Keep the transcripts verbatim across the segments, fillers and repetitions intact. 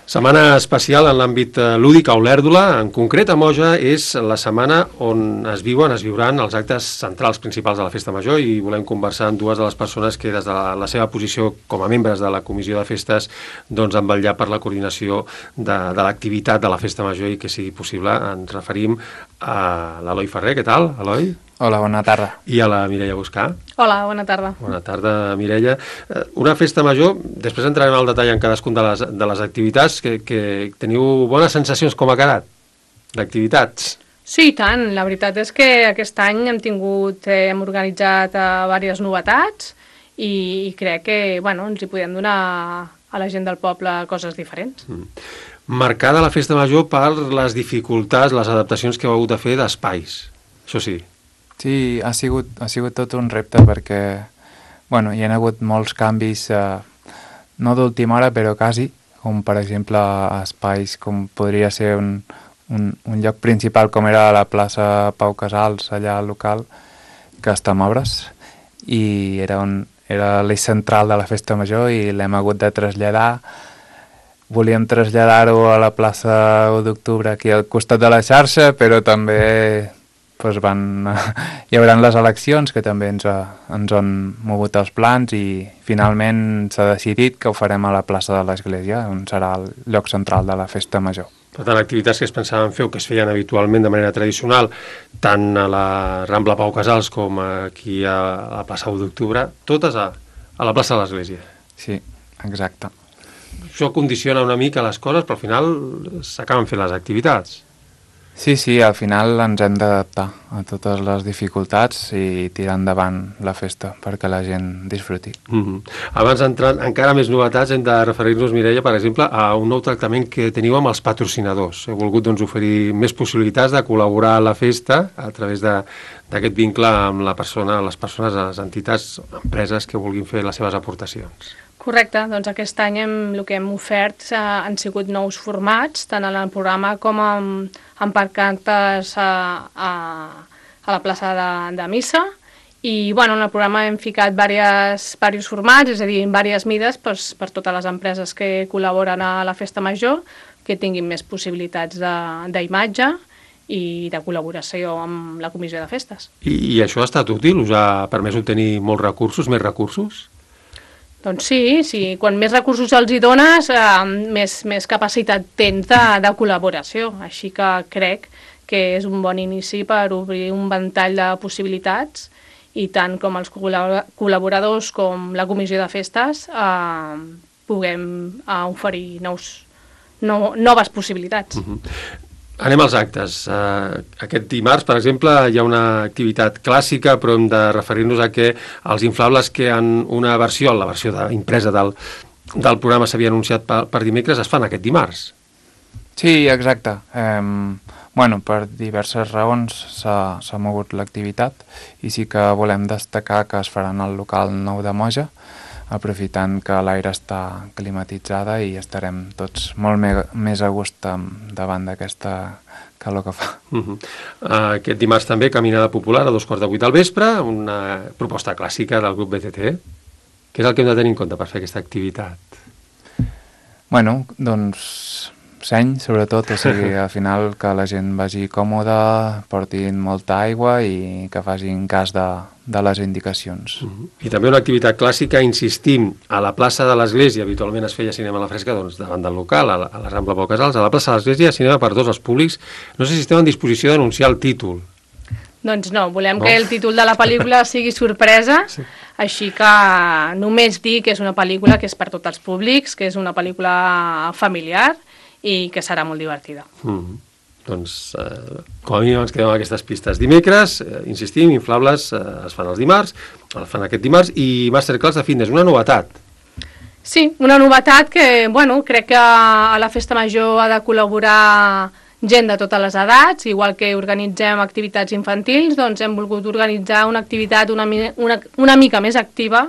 Setmana especial en l'àmbit lúdic a Olèrdola. En concret, a Moja és la setmana on es viuen, es viuran els actes centrals principals de la Festa Major i volem conversar amb dues de les persones que des de la, la seva posició com a membres de la Comissió de Festes doncs han vetllat per la coordinació de, de l'activitat de la Festa Major i que sigui possible. Ens referim a l'Eloi Ferrer. Què tal, Eloi? Hola, bona tarda. I a la Mireia Buscà. Hola, bona tarda. Bona tarda, Mireia. Una festa major, després entrarem al detall en cadascun de les, de les activitats, que, que teniu bones sensacions com ha quedat, d'activitats. Sí, i tant. La veritat és que aquest any hem tingut, eh, hem organitzat eh, diverses novetats i, i crec que, bueno, ens hi podem donar a la gent del poble coses diferents. Mm. Marcada la Festa Major per les dificultats, les adaptacions que heu hagut de fer d'espais, això sí. Sí, ha sigut, ha sigut tot un repte perquè, bueno, hi ha hagut molts canvis, eh, no d'última hora, però quasi, com per exemple espais com podria ser un, un, un lloc principal com era la plaça Pau Casals, allà al local, que està en obres, i era, un, era l'eix central de la Festa Major i l'hem hagut de traslladar. Volíem traslladar-ho a la plaça u d'octubre aquí al costat de la xarxa, però també doncs van, hi haurà les eleccions que també ens, ens han mogut els plans i finalment s'ha decidit que ho farem a la plaça de l'Església, on serà el lloc central de la Festa Major. Per tant, activitats que es pensaven fer o que es feien habitualment de manera tradicional, tant a la Rambla Pau Casals com aquí a la plaça u d'octubre, totes a, a la plaça de l'Església. Sí, exacte. Això condiciona una mica les coses, però al final s'acaben fent les activitats. Sí, sí, al final ens hem d'adaptar a totes les dificultats i tirar endavant la festa perquè la gent disfruti. Mm-hmm. Abans d'entrar encara més novetats, hem de referir-nos, Mireia, per exemple, a un nou tractament que teniu amb els patrocinadors. Heu volgut doncs, oferir més possibilitats de col·laborar a la festa a través d'aquest vincle amb la persona, les persones, les entitats, empreses que vulguin fer les seves aportacions. Correcte, doncs aquest any hem, el que hem ofert eh, han sigut nous formats, tant en el programa com amb, amb pancartes a, a, a la plaça de, de Missa. I bueno, en el programa hem ficat diversos, diversos formats, és a dir, en diverses mides doncs, per totes les empreses que col·laboren a la Festa Major, que tinguin més possibilitats d'imatge i de col·laboració amb la Comissió de Festes. I, i això ha estat útil? Us ha permès obtenir molts recursos, més recursos? Doncs sí, sí, quan més recursos els hi dones, eh, més, més capacitat tens de, de col·laboració. Així que crec que és un bon inici per obrir un ventall de possibilitats i tant com els col·laboradors com la Comissió de Festes eh, puguem eh, oferir nous, no, noves possibilitats. Uh-huh. Anem als actes. Uh, aquest dimarts, per exemple, hi ha una activitat clàssica, però hem de referir-nos a que els inflables que en una versió, la versió de, impresa del, del programa s'havia anunciat per, per dimecres, es fan aquest dimarts. Sí, exacte. Um, bueno, per diverses raons s'ha mogut l'activitat i sí que volem destacar que es faran al local nou de Moja, aprofitant que l'aire està climatitzada i estarem tots molt me més a gust davant d'aquesta calor que fa. Uh-huh. uh, aquest dimarts també caminada popular a dos quarts de vuit del vespre, una proposta clàssica del grup B T T. Què és el que hem de tenir en compte per fer aquesta activitat? Bueno, doncs seny, sobretot, o sigui, al final que la gent vagi còmoda, portin molta aigua i que facin cas de, de les indicacions. Uh-huh. I també una activitat clàssica, insistim, a la plaça de l'Església, habitualment es feia cinema a la fresca, doncs davant del local, a la, a la Rambla Pau Casals, a la plaça de l'Església, cinema per tots els públics. No sé si esteu en disposició d'anunciar el títol. Doncs no, volem no? que el títol de la pel·lícula sigui sorpresa, sí. Així que només dir que és una pel·lícula que és per tots els públics, que és una pel·lícula familiar, i que serà molt divertida. Mm. Doncs, eh, com a mínim ens quedem amb aquestes pistes. Dimecres, eh, insistim, inflables eh, es fan els dimarts, el fan aquest dimarts, i masterclass de fitness, una novetat. Sí, una novetat que, bueno, crec que a la Festa Major ha de col·laborar gent de totes les edats, igual que organitzem activitats infantils, doncs hem volgut organitzar una activitat una, una, una mica més activa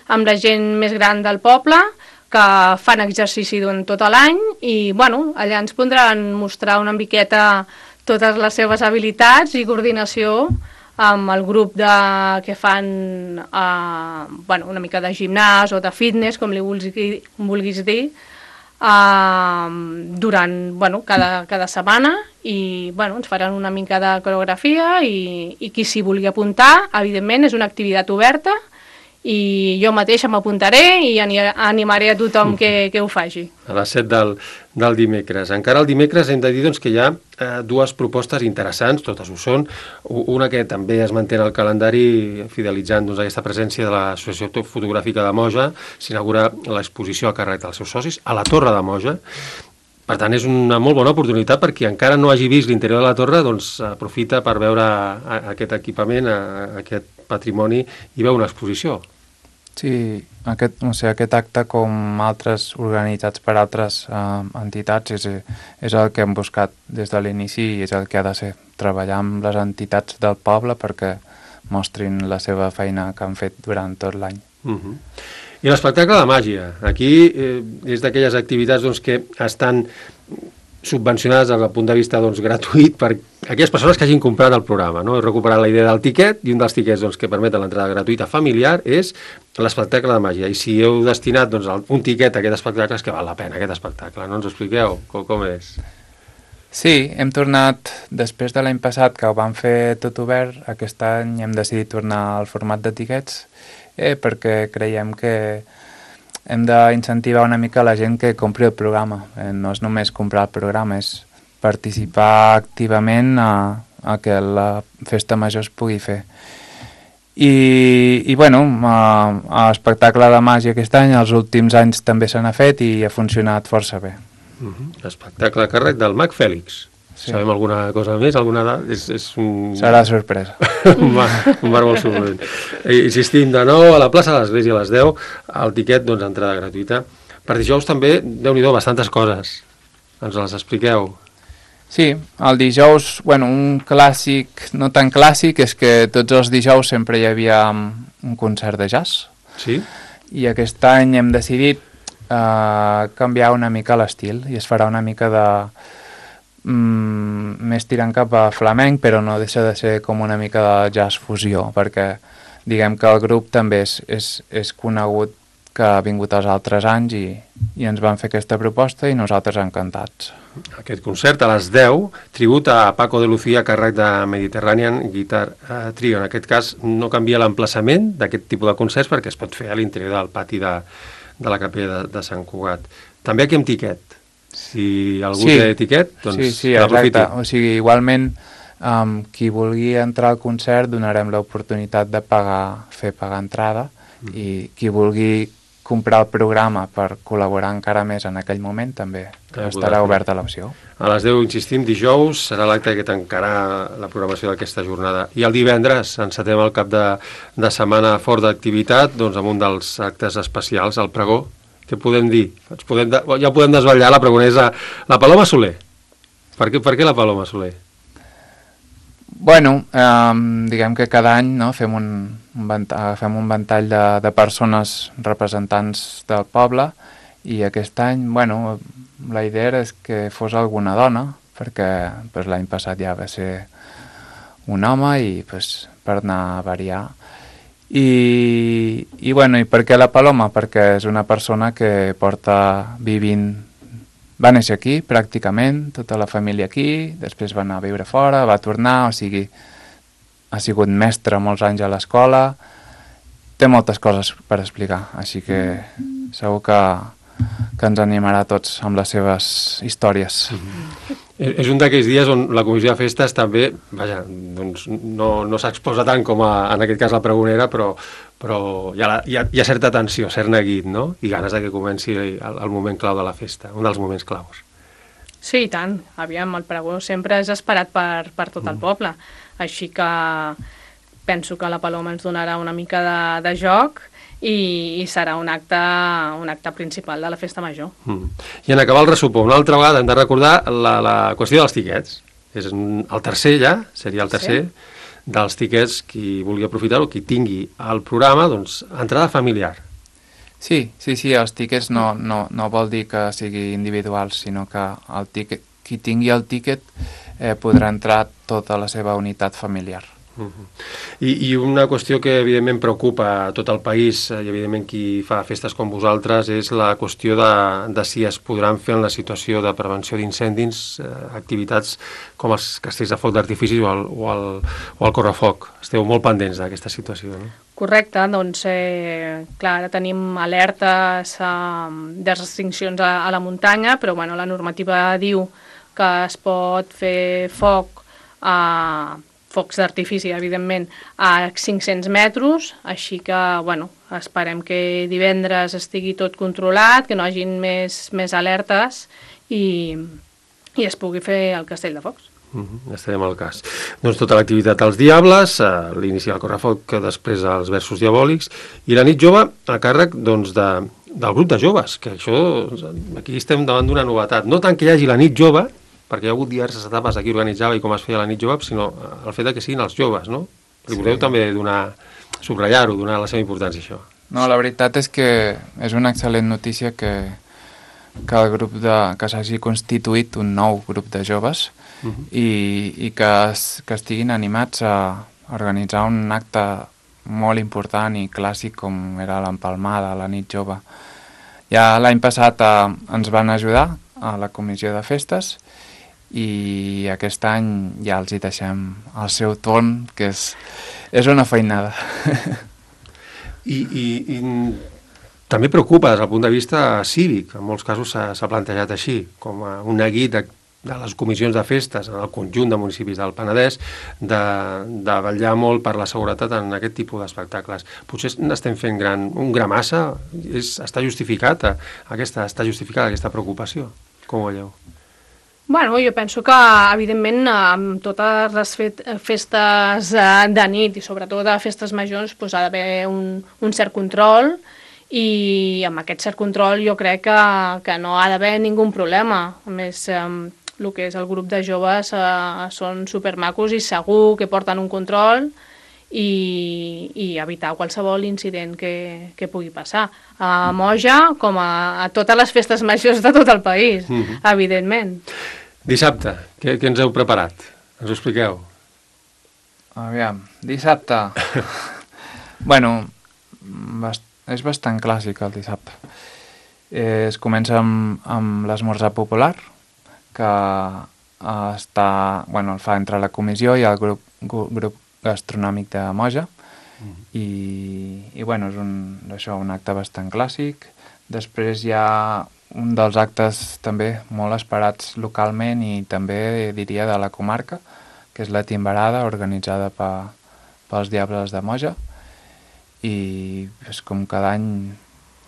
amb la gent més gran del poble, que fan exercici durant tot l'any i bueno, allà ens podran mostrar una miqueta totes les seves habilitats i coordinació amb el grup de, que fan eh, bueno, una mica de gimnàs o de fitness, com li vulguis, vulguis dir, uh, durant bueno, cada, cada setmana i bueno, ens faran una mica de coreografia i, i qui s'hi vulgui apuntar, evidentment és una activitat oberta i jo mateixa m'apuntaré i animaré a tothom que, que ho faci. A les set del, del dimecres. Encara el dimecres hem de dir doncs, que hi ha eh, dues propostes interessants, totes ho són. Una que també es manté en el calendari fidelitzant doncs, aquesta presència de l'Associació Fotogràfica de Moja. S'inaugura l'exposició a càrrec dels seus socis a la Torre de Moja. Per tant, és una molt bona oportunitat per qui encara no hagi vist l'interior de la torre, doncs aprofita per veure aquest equipament, aquest patrimoni i veure una exposició. Sí, aquest, o sigui, aquest acte, com altres organitzats per altres eh, entitats, és, és el que hem buscat des de l'inici i és el que ha de ser, treballar amb les entitats del poble perquè mostrin la seva feina que han fet durant tot l'any. Uh-huh. I l'espectacle de màgia. Aquí eh, és d'aquelles activitats doncs, que estan subvencionades des del punt de vista doncs, gratuït per aquelles persones que hagin comprat el programa. No? He recuperat la idea del tiquet i un dels tiquets doncs, que permeten l'entrada gratuïta familiar és l'espectacle de màgia. I si heu destinat doncs, un tiquet a aquest espectacle és que val la pena aquest espectacle. No ens ho expliqueu? Com, com és? Sí, hem tornat, després de l'any passat que ho vam fer tot obert, aquest any hem decidit tornar al format de tiquets eh, perquè creiem que hem d'incentivar una mica la gent que compri el programa. Eh, no és només comprar el programa, és participar activament a, a que la festa major es pugui fer. I, i bueno, l'espectacle de màgia aquest any, els últims anys també se n'ha fet i ha funcionat força bé. Uh-huh. Espectacle a càrrec del Mag Fèlix. Sí. Sabem alguna cosa més? Alguna dada? És, és un... Serà sorpresa. un, bar, un bar molt sorprendent. Insistim de nou a la plaça de l'Església a les deu, el tiquet, doncs, entrada gratuïta. Per dijous també, Déu-n'hi-do, bastantes coses. Ens les expliqueu? Sí, el dijous, bueno, un clàssic, no tan clàssic, és que tots els dijous sempre hi havia un concert de jazz. Sí. I aquest any hem decidit eh, canviar una mica l'estil i es farà una mica de... Mm, més tirant cap a flamenc, però no deixa de ser com una mica de jazz fusió, perquè diguem que el grup també és, és, és conegut que ha vingut els altres anys i, i ens van fer aquesta proposta i nosaltres encantats. Aquest concert a les deu, tribut a Paco de Lucía a càrrec de Mediterranean Guitar Trio. En aquest cas no canvia l'emplaçament d'aquest tipus de concerts perquè es pot fer a l'interior del pati de, de la capella de, de Sant Cugat. També aquí amb tiquet. Si algú sí, té tiquet, doncs sí, sí, exacte. O sigui, igualment, um, qui vulgui entrar al concert donarem l'oportunitat de pagar, fer pagar entrada mm. i qui vulgui comprar el programa per col·laborar encara més en aquell moment també que estarà oberta l'opció. A les deu, insistim, dijous serà l'acte que tancarà la programació d'aquesta jornada. I el divendres encetem el cap de, de setmana fort d'activitat doncs, amb un dels actes especials, el pregó. Què podem dir? Podem de... Ja podem desvetllar la pregonesa. La Paloma Soler. Per què, per què la Paloma Soler? Bueno, eh, diguem que cada any no, fem, un, un ventall, fem un ventall de, de persones representants del poble i aquest any, bueno, la idea era que fos alguna dona, perquè pues, l'any passat ja va ser un home i pues, per anar a variar. I, i bueno, i per què la Paloma? Perquè és una persona que porta vivint, va néixer aquí pràcticament, tota la família aquí, després va anar a viure fora, va tornar, o sigui, ha sigut mestra molts anys a l'escola, té moltes coses per explicar, així que segur que, que ens animarà a tots amb les seves històries. Mm-hmm. És un d'aquells dies on la comissió de festes també, vaja, doncs no, no s'exposa tant com a, en aquest cas la pregonera, però, però hi, ha, hi, ha, hi ha certa tensió, cert neguit, no? I ganes de que comenci el, el moment clau de la festa, un dels moments claus. Sí, i tant. Aviam, el pregó sempre és esperat per, per tot el poble, així que penso que la Paloma ens donarà una mica de, de joc i, i serà un acte, un acte principal de la festa major. Mm. I en acabar el ressupó, una altra vegada hem de recordar la, la qüestió dels tiquets. És el tercer ja, seria el tercer, sí. dels tiquets, qui vulgui aprofitar-ho, qui tingui el programa, doncs, entrada familiar. Sí, sí, sí, els tiquets no, no, no vol dir que sigui individual, sinó que el tiquet, qui tingui el tiquet eh, podrà entrar tota la seva unitat familiar. Uh-huh. I, I una qüestió que evidentment preocupa a tot el país i evidentment qui fa festes com vosaltres és la qüestió de, de si es podran fer en la situació de prevenció d'incendis eh, activitats com els castells de foc d'artifici o, el, o, el, o el correfoc. Esteu molt pendents d'aquesta situació, no? Correcte, doncs eh, clar, ara tenim alertes eh, de restriccions a, a la muntanya, però bueno, la normativa diu que es pot fer foc a focs d'artifici, evidentment, a cinc-cents metres, així que, bueno, esperem que divendres estigui tot controlat, que no hagin més, més alertes i, i es pugui fer el castell de focs. Uh-huh, estarem al cas. Doncs tota l'activitat als Diables, a l'inici del correfoc, que després als versos diabòlics, i la nit jove a càrrec doncs, de, del grup de joves, que això, aquí estem davant d'una novetat. No tant que hi hagi la nit jove, perquè hi ha hagut diverses etapes aquí organitzava i com es feia la nit jove, sinó el fet que siguin els joves, no? Li voleu sí. també donar, subratllar-ho, donar la seva importància, això. No, la veritat és que és una excel·lent notícia que, que el grup de, que s'hagi constituït un nou grup de joves uh-huh. i, i que, es, que estiguin animats a organitzar un acte molt important i clàssic com era l'empalmada, la nit jove. Ja l'any passat eh, ens van ajudar a la comissió de festes i aquest any ja els hi deixem el seu torn, que és, és una feinada. I, i, i també preocupa des del punt de vista cívic, en molts casos s'ha plantejat així, com un neguit de, de les comissions de festes en el conjunt de municipis del Penedès de, de vetllar molt per la seguretat en aquest tipus d'espectacles. Potser n'estem fent gran, un gra massa, és, està justificat aquesta, està justificada aquesta preocupació. Com ho veieu? Bueno, jo penso que, evidentment, amb totes les festes de nit i sobretot de festes majors doncs, ha d'haver un, un cert control i amb aquest cert control jo crec que, que no ha d'haver ningú problema. A més, eh, el que és el grup de joves eh, són supermacos i segur que porten un control i, i evitar qualsevol incident que, que pugui passar. A Moja, com a, a totes les festes majors de tot el país, mm-hmm. evidentment. Dissabte, què, què ens heu preparat? Ens ho expliqueu? Aviam, dissabte... bueno, bast... és bastant clàssic el dissabte. Eh, es comença amb, amb l'esmorzar popular, que està, bueno, el fa entre la comissió i el grup, grup gastronòmic de Moja, mm. i, i bueno, és un, això, un acte bastant clàssic. Després hi ha un dels actes també molt esperats localment i també diria de la comarca, que és la timbarada organitzada pe, pels Diables de Moja, i és com cada any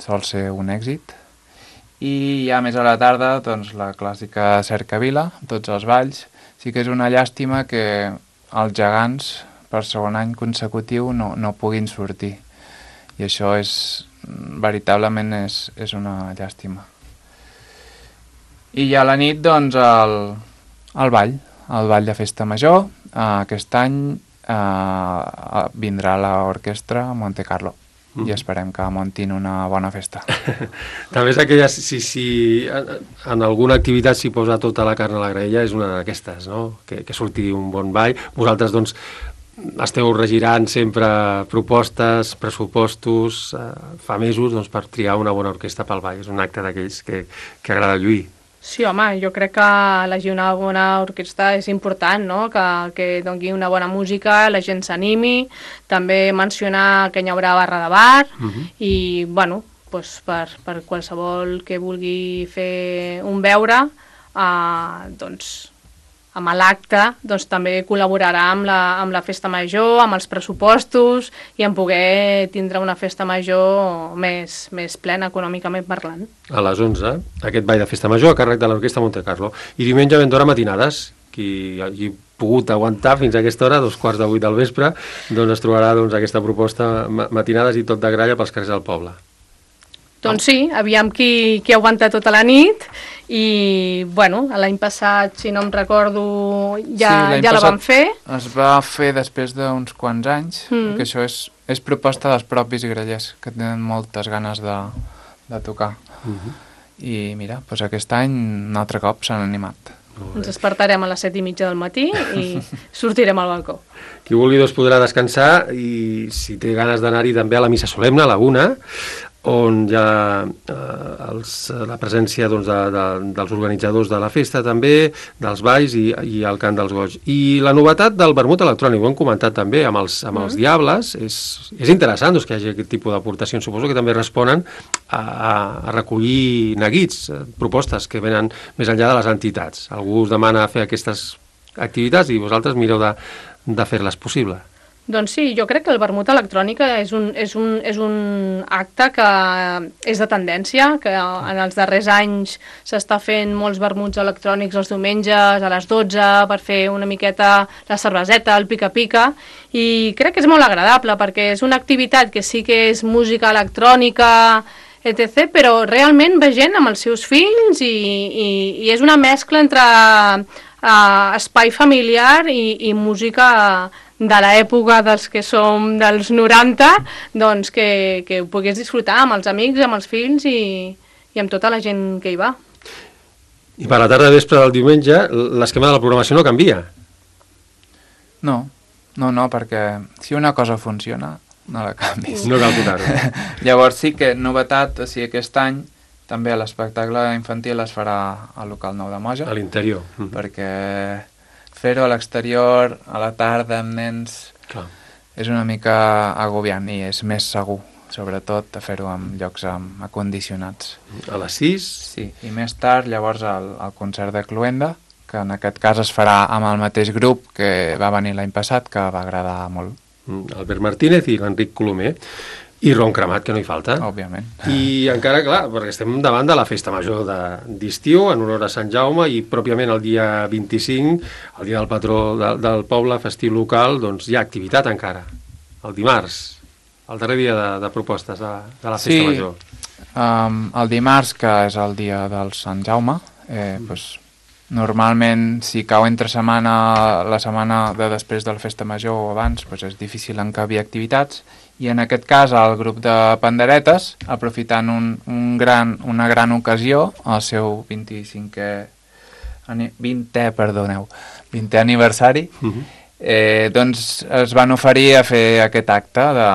sol ser un èxit. I ja més a la tarda, doncs, la clàssica cercavila, tots els balls. Sí que és una llàstima que els gegants per segon any consecutiu no, no puguin sortir, i això és veritablement és, és una llàstima. I ja a la nit, doncs, el, el ball, el ball de festa major. Uh, aquest any uh, vindrà l'orquestra Monte Carlo mm. i esperem que muntin una bona festa. També és aquella, si, si en alguna activitat s'hi posa tota la carn a la graella, és una d'aquestes, no? Que, que surti un bon ball. Vosaltres, doncs, esteu regirant sempre propostes, pressupostos, eh, fa mesos, doncs, per triar una bona orquestra pel ball. És un acte d'aquells que, que agrada lluir. Sí, home, jo crec que elegir una bona orquestra és important, no? Que, que doni una bona música, la gent s'animi, també mencionar que hi haurà barra de bar, uh-huh. i, bueno, doncs per, per qualsevol que vulgui fer un beure, eh, doncs, amb l'acte, doncs també col·laborarà amb la, amb la festa major, amb els pressupostos i en poder tindre una festa major més, més plena econòmicament parlant. A les onze, aquest ball de festa major a càrrec de l'Orquestra Monte Carlo. I diumenge ben d'hora matinades, qui hagi pogut aguantar fins a aquesta hora, dos quarts de vuit del vespre, doncs es trobarà doncs, aquesta proposta matinades i tot de gralla pels carrers del poble. Doncs sí, aviam qui, qui aguanta tota la nit i, bueno, l'any passat, si no em recordo, ja, sí, ja la vam fer. Es va fer després d'uns quants anys, mm. que això és, és proposta dels propis grallers, que tenen moltes ganes de, de tocar. Mm-hmm. I mira, doncs aquest any un altre cop s'han animat. Ens despertarem a les set i mitja del matí i sortirem al balcó. Qui vulgui doncs podrà descansar i si té ganes d'anar-hi també a la missa solemne, a la una, on hi ha eh, els, la presència doncs, de, de, dels organitzadors de la festa també, dels balls i, i el cant dels goig. I la novetat del vermut electrònic, ho hem comentat també amb els, amb els mm. diables, és, és interessant doncs, que hi hagi aquest tipus d'aportacions. Suposo que també responen a, a recollir neguits, propostes que venen més enllà de les entitats. Algú us demana fer aquestes activitats i vosaltres mireu de, de fer-les possible. Doncs sí, jo crec que el vermut electrònic és un, és un, és un acte que és de tendència, que en els darrers anys s'està fent molts vermuts electrònics els diumenges a les dotze per fer una miqueta la cerveseta, el pica-pica, i crec que és molt agradable perquè és una activitat que sí que és música electrònica, etcètera, però realment ve gent amb els seus fills i, i, i és una mescla entre uh, espai familiar i, i música de l'època dels que som dels noranta, doncs que, que ho pogués disfrutar amb els amics, amb els fills i, i amb tota la gent que hi va. I per la tarda vespre del diumenge, l'esquema de la programació no canvia? No, no, no, perquè si una cosa funciona, no la canvis. No cal tocar-ho. Llavors sí que novetat, o sigui, aquest any també l'espectacle infantil es farà al local Nou de Moja. A l'interior. Mm. Perquè fer-ho a l'exterior, a la tarda, amb nens, clar, és una mica agobiant i és més segur, sobretot a fer-ho en llocs amb acondicionats. A les sis? Sí, i més tard, llavors, el, el concert de Cluenda, que en aquest cas es farà amb el mateix grup que va venir l'any passat, que va agradar molt. Albert Martínez i l'Enric Colomer. I ron cremat, que no hi falta. Òbviament. I encara, clar, perquè estem davant de la festa major d'estiu, en honor a Sant Jaume, i pròpiament el dia vint-i-cinc, el dia del patró de, del poble, festiu local, doncs hi ha activitat encara. El dimarts, el darrer dia de, de propostes de, de la festa sí, major. Um, el dimarts, que és el dia del Sant Jaume, eh, mm. pues, normalment, si cau entre setmana, la setmana de després de la festa major o abans, pues és difícil encabir activitats, i en aquest cas el grup de panderetes, aprofitant un, un gran, una gran ocasió, el seu vint-i-cinquè, vintè, perdoneu, vintè aniversari, uh-huh. eh, doncs es van oferir a fer aquest acte de,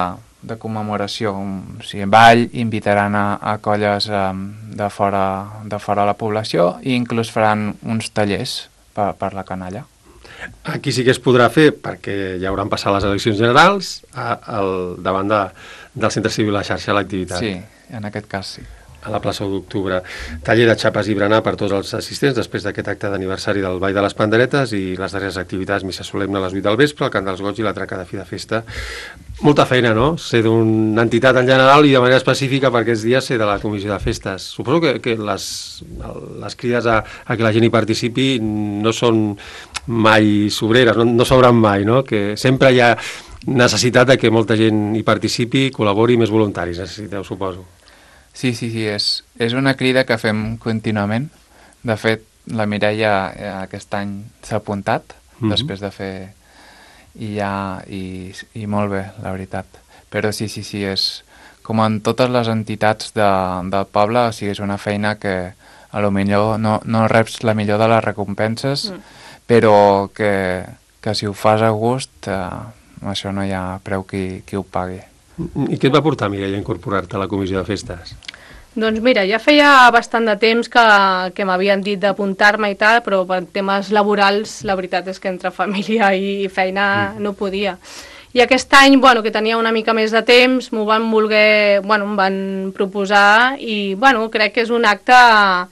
de commemoració. O sigui, ball, invitaran a, a colles um, de, fora, de fora de la població i inclús faran uns tallers per, per la canalla. Aquí sí que es podrà fer, perquè ja hauran passat les eleccions generals, a, al, davant de, del Centre Civil La Xarxa, l'activitat. Sí, en aquest cas sí. A la plaça d'Octubre. Taller de xapes i berenar per tots els assistents després d'aquest acte d'aniversari del Ball de les Panderetes i les darreres activitats, missa solemne a les vuit del vespre, el cant dels goig i la traca de fi de festa. Molta feina, no? Ser d'una entitat en general i de manera específica per aquests dies ser de la comissió de festes. Suposo que, que les, les crides a, a que la gent hi participi no són mai sobreres, no, no s'obren mai, no? Que sempre hi ha necessitat de que molta gent hi participi, col·labori, més voluntaris, necessiteu, suposo. Sí, sí, sí, és, és una crida que fem contínuament. De fet, la Mireia eh, aquest any s'ha apuntat, mm-hmm. després de fer... I ja... I, i molt bé, la veritat. Però sí, sí, sí, és... Com en totes les entitats de, del poble, o sigui, és una feina que a lo millor no, no reps la millor de les recompenses, mm. però que, que si ho fas a gust, eh, això no hi ha preu qui, qui ho pagui. I què et va portar, Mireia, a incorporar-te a la comissió de festes? Doncs mira, ja feia bastant de temps que, que m'havien dit d'apuntar-me i tal, però per temes laborals la veritat és que entre família i feina mm. no podia. I aquest any, bueno, que tenia una mica més de temps, m'ho van voler, bueno, em van proposar i, bueno, crec que és un acte a,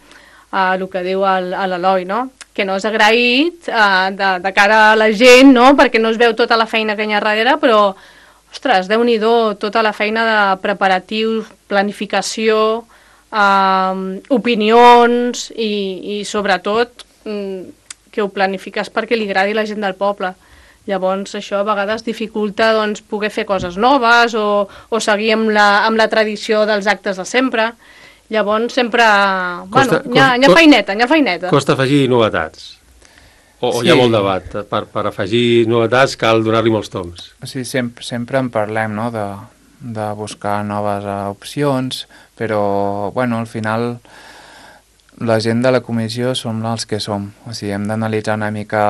a el que diu l'Eloi, no? Que no és agraït a, de, de cara a la gent, no? Perquè no es veu tota la feina que hi ha darrere, però ostres, déu-n'hi-do, tota la feina de preparatius, planificació, eh, opinions i, i sobretot que ho planifiques perquè li agradi la gent del poble. Llavors això a vegades dificulta doncs, poder fer coses noves o, o seguir amb la, amb la tradició dels actes de sempre. Llavors sempre... Costa, bueno, hi ha, hi ha feineta, hi ha feineta. Costa afegir novetats. O, o sí. Hi ha molt debat. Per, per afegir novetats cal donar-li molts toms. Sí, sempre, sempre en parlem, no?, de, de buscar noves uh, opcions, però, bueno, al final la gent de la comissió som els que som. O sigui, hem d'analitzar una mica...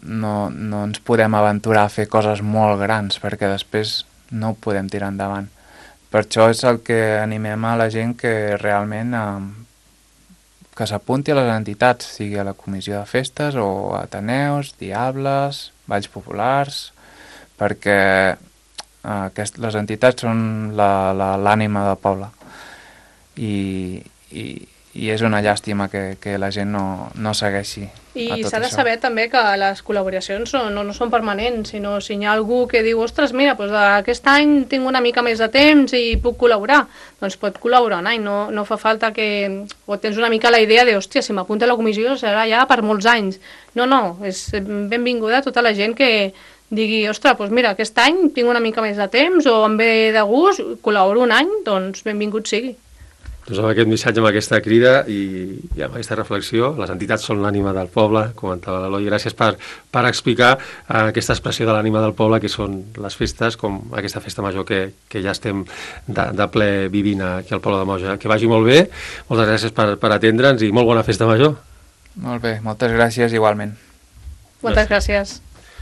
No, no ens podem aventurar a fer coses molt grans, perquè després no ho podem tirar endavant. Per això és el que animem a la gent que realment eh, que s'apunti a les entitats, sigui a la comissió de festes o a Ateneus, Diables, Balls Populars, perquè eh, aquest, les entitats són l'ànima del poble. I, i, i és una llàstima que, que la gent no, no segueixi a tot això. I s'ha de saber també que les col·laboracions no, no, no són permanents, sinó si hi ha algú que diu, ostres, mira, doncs aquest any tinc una mica més de temps i puc col·laborar, doncs pot col·laborar un any, no, no fa falta que... o tens una mica la idea de, hòstia, si m'apunta a la comissió serà ja per molts anys. No, no, és benvinguda tota la gent que digui, ostres, doncs mira, aquest any tinc una mica més de temps o em ve de gust, col·laboro un any, doncs benvingut sigui. Doncs amb aquest missatge, amb aquesta crida i, i amb aquesta reflexió, les entitats són l'ànima del poble, comentava l'Eloi, gràcies per, per explicar eh, aquesta expressió de l'ànima del poble que són les festes, com aquesta festa major que, que ja estem de, de ple vivint aquí al poble de Moja. Que vagi molt bé, moltes gràcies per, per atendre'ns i molt bona festa major. Molt bé, moltes gràcies igualment. Moltes gràcies.